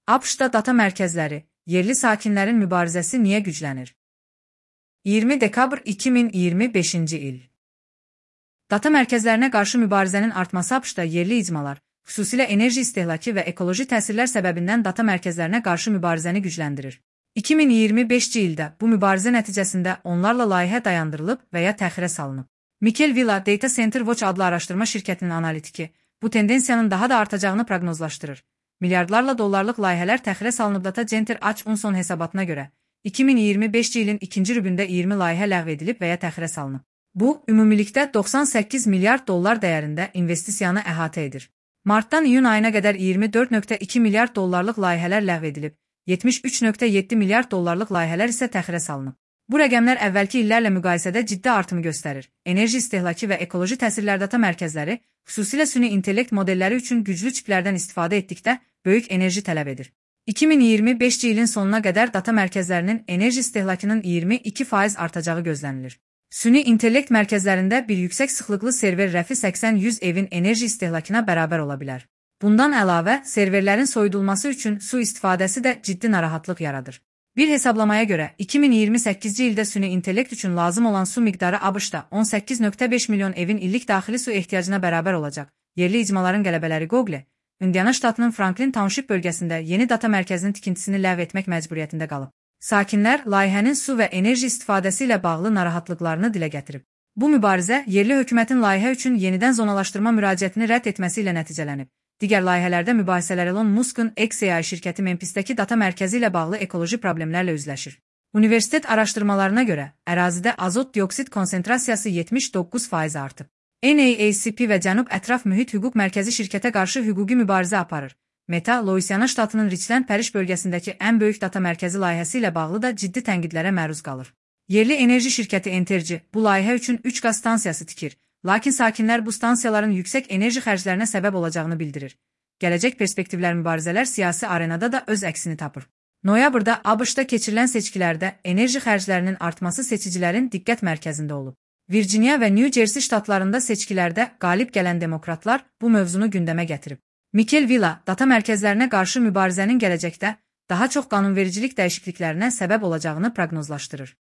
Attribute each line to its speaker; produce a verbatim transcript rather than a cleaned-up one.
Speaker 1: ABŞ-da data mərkəzləri, yerli sakinlərin mübarizəsi niyə güclənir? iyirmi dekabr iki min iyirmi beşinci il. Data mərkəzlərinə qarşı mübarizənin artması ABŞ-da yerli icmalar, xüsusilə enerji istehlakı və ekoloji təsirlər səbəbindən data mərkəzlərinə qarşı mübarizəni gücləndirir. iki min iyirmi beşinci ildə bu mübarizə nəticəsində onlarla layihə dayandırılıb və ya təxirə salınıb. Mikel Villa, Data Center Watch adlı araşdırma şirkətinin analitiki, bu tendensiyanın daha da artacağını proqnozlaşdırır. Milyardlarla dollarlıq layihələr təxirə salınıb. Data Center Watch hesabatına görə, iki min iyirmi beşinci ilin ikinci rübündə iyirmi layihə ləğv edilib və ya təxirə salınıb. Bu, ümumilikdə doxsan səkkiz milyard dollar dəyərində investisiyanı əhatə edir. Martdan iyun ayına qədər iyirmi dörd nöqtə iki milyard dollarlıq layihələr ləğv edilib, yetmiş üç nöqtə yeddi milyard dollarlıq layihələr isə təxirə salınıb. Bu rəqəmlər əvvəlki illərlə müqayisədə ciddi artımı göstərir. Enerji istehlakı və ekoloji təsirlər data mərkəzləri, xüsusilə süni intellekt modelləri üçün güclü çiplərdən istifadə etdikdə böyük enerji tələb edir. iki min iyirmi beşinci ilin sonuna qədər data mərkəzlərinin enerji istehlakının iyirmi iki faiz artacağı gözlənilir. Süni intellekt mərkəzlərində bir yüksək sıxlıqlı server rəfi səksən yüz evin enerji istehlakına bərabər ola bilər. Bundan əlavə, serverlərin soyudulması üçün su istifadəsi də ciddi narahatlıq yaradır. Bir hesablamaya görə, iki min iyirmi səkkizinci ildə süni intellekt üçün lazım olan su miqdarı ABŞ-da on səkkiz nöqtə beş milyon evin illik daxili su ehtiyacına bərabər olacaq. Yerli icmaların qələbələri Google, Indiana ştatının Franklin Township bölgəsində yeni data mərkəzinin tikintisini ləğv etmək məcburiyyətində qalıb. Sakinlər layihənin su və enerji istifadəsi ilə bağlı narahatlıqlarını dilə gətirib. Bu mübarizə yerli hökumətin layihə üçün yenidən zonalaşdırma müraciətini rədd etməsi ilə nəticələnib. Digər layihələrdə mübahisələr Elon Musk'un X A I şirkəti Memphisdəki data mərkəzi ilə bağlı ekoloji problemlərlə üzləşir. Universitet araşdırmalarına görə, ərazidə azot dioksid konsentrasiyası yetmiş doqquz faiz artıb. N A A C P və Cənub Ətraf Mühit Hüquq Mərkəzi şirkətə qarşı hüquqi mübarizə aparır. Meta, Louisiana ştatının Richland Parish bölgəsindəki ən böyük data mərkəzi layihəsi ilə bağlı da ciddi tənqidlərə məruz qalır. Yerli enerji şirkəti Entergy bu layihə üçün üç qaz stansiyası tikir. Lakin sakinlər bu stansiyaların yüksək enerji xərclərinə səbəb olacağını bildirir. Gələcək perspektivlər mübarizələr siyasi arenada da öz əksini tapır. Noyabrda ABŞ-da keçirilən seçkilərdə enerji xərclərinin artması seçicilərin diqqət mərkəzində olub. Virginia və New Jersey ştatlarında seçkilərdə qalib gələn demokratlar bu mövzunu gündəmə gətirib. Mikel Villa, data mərkəzlərinə qarşı mübarizənin gələcəkdə daha çox qanunvericilik dəyişikliklərinə səbəb olacağını proqnozlaşdırır.